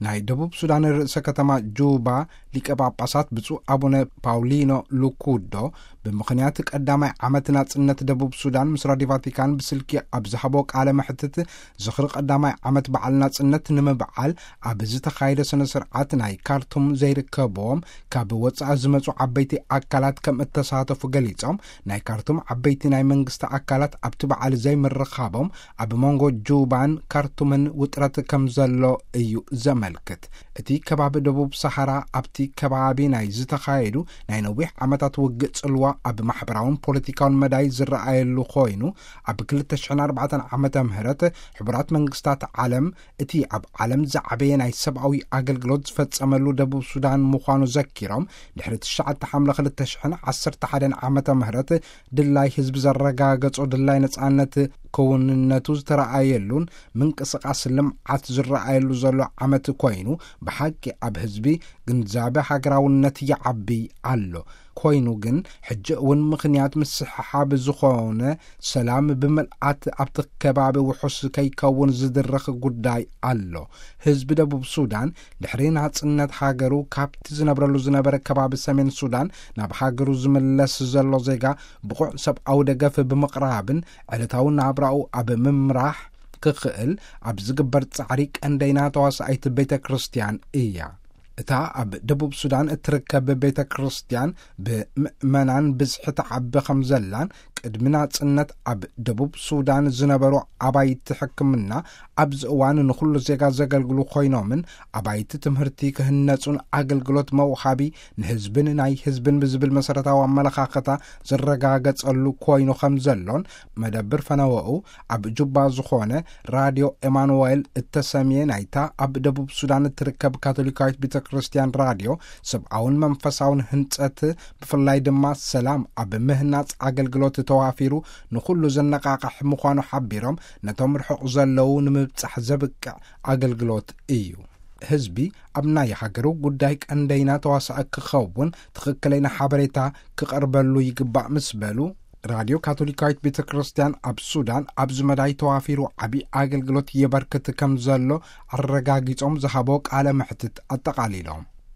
ናይ ደቡብ ሱዳን ርእሰ ከተማ ጁባ ሊቀ ጳጳሳት ብፁዕ ኣቡነ ፓውሊኖ ሉኩዶ፣ ብምኽንያት ቀዳማይ ዓመት ናጽነት ደቡብ ሱዳን፣ ምስ ራዲዮ ቫቲካን ብስልኪ ኣብ ዝሃቦ ቃለ መሕትት፣ ዝኽሪ ቀዳማይ ዓመት በዓል ናጽነት ንምብዓል ኣብ ዝተኻየደ ስነ ስርዓት፣ ናይ ካርቱም ዘይርከብዎም ካብ ወጻኢ ዝመጹ ዓበይቲ ኣካላት ከም እተሳተፉ ገሊጾም፣ ናይ ካርቱም ዓበይቲ ናይ መንግስቲ ኣካላት ኣብቲ በዓል ዘይምርኻቦም ኣብ መንጎ ጁባን ካርቱምን ውጥረት ከም ዘሎ እዩ ዘመልክት። እቲ ከባቢ ደቡብ ሰሃራ ኣብቲ ከባቢ ናይ ዝተኻየዱ ናይ ነዊሕ ዓመታት ውግእ ጽልዋ ኣብ ማሕበራውን ፖለቲካውን መዳይ ዝረኣየሉ ኮይኑ፣ ኣብ ክልተ ሽሕን ኣርባዕተን ዓመተ ምህረት ሕቡራት መንግስታት ዓለም እቲ ኣብ ዓለም ዝዓበየ ናይ ሰብኣዊ ኣገልግሎት ዝፈጸመሉ ደቡብ ሱዳን ምዃኑ ዘኪሮም፣ ድሕሪ ትሽዓተ ሓምለ ክልተ ሽሕን ዓሰርተ ሓደን ዓመተ ምህረት ድላይ ህዝቢ ዘረጋገጾ ድላይ ነጻነት ክውንነቱ ዝተረኣየሉን ምንቅስቃስ ልምዓት ዝረኣየሉ ዘሎ ዓመት ኮይኑ፣ ብሓቂ ኣብ ህዝቢ ግንዛበ ሃገራውነት ይዓቢ ኣሎ። ኮይኑ ግን፣ ሕጂ እውን ምኽንያት ምስሕሓብ ዝኾነ ሰላም ብምልኣት ኣብቲ ከባቢ ውሑስ ከይከውን ዝድርኽ ጉዳይ ኣሎ። ህዝቢ ደቡብ ሱዳን፣ ድሕሪ ናጽነት ሃገሩ ካብቲ ዝነብረሉ ዝነበረ ከባቢ ሰሜን ሱዳን ናብ ሃገሩ ዝምለስ ዘሎ ዜጋ፣ ብቑዕ ሰብኣዊ ደገፍ ብምቕራብን ዕለታዊ ናብራኡ ኣብ ምምራሕ ክኽእል ኣብ ዝግበር ጻዕሪ ቀንደይና ተዋሳኣይት ቤተ ክርስቲያን እያ። እታ ኣብ ደቡብ ሱዳን እትርከብ ቤተ ክርስቲያን፣ ብምእመናን ብዝሒ ትዓቢ ከም ዘላን፣ ቅድሚ ናጽነት ኣብ ደቡብ ሱዳን ዝነበሩ ኣባይቲ ሕክምና ኣብዚ እዋን ንኹሉ ዜጋ ዘገልግሉ ኮይኖምን፣ ኣባይቲ ትምህርቲ ክህነጹን፣ ኣገልግሎት መውሃቢ ንህዝብን ናይ ህዝብን ብዝብል መሰረታዊ ኣመለኻኸታ ዝረጋገጸሉ ኮይኑ ከም ዘሎን፣ መደብር ፈነወኡ ኣብ ጁባ ዝኾነ ራድዮ ኤማኑኤል እተሰምየ ናይታ ኣብ ደቡብ ሱዳን እትርከብ ካቶሊካዊት ቤተ ክርስቲያን ራድዮ፣ ሰብኣውን መንፈሳውን ህንጸት፣ ብፍላይ ድማ ሰላም ኣብ ምህናጽ ኣገልግሎት ተዋፊሩ ንኹሉ ዘነቃቕሕ ምዃኑ ሓቢሮም፣ ነቶም ርሑቕ ዘለዉ ንምብጻሕ ዘብቅዕ ኣገልግሎት እዩ። ህዝቢ ኣብ ናይ ሃገሩ ጉዳይ ቀንደይና ተዋሳኢ ክኸውን ትኽክለይና ሓበሬታ ክቐርበሉ ይግባእ ምስ በሉ፣ ራድዮ ካቶሊካዊት ቤተ ክርስቲያን ኣብ ሱዳን ኣብዚ መዳይ ተዋፊሩ ዓቢ ኣገልግሎት የበርክት ከም ዘሎ ኣረጋጊጾም ዝሃቦ ቃለ መሕትት ኣጠቓሊሎም።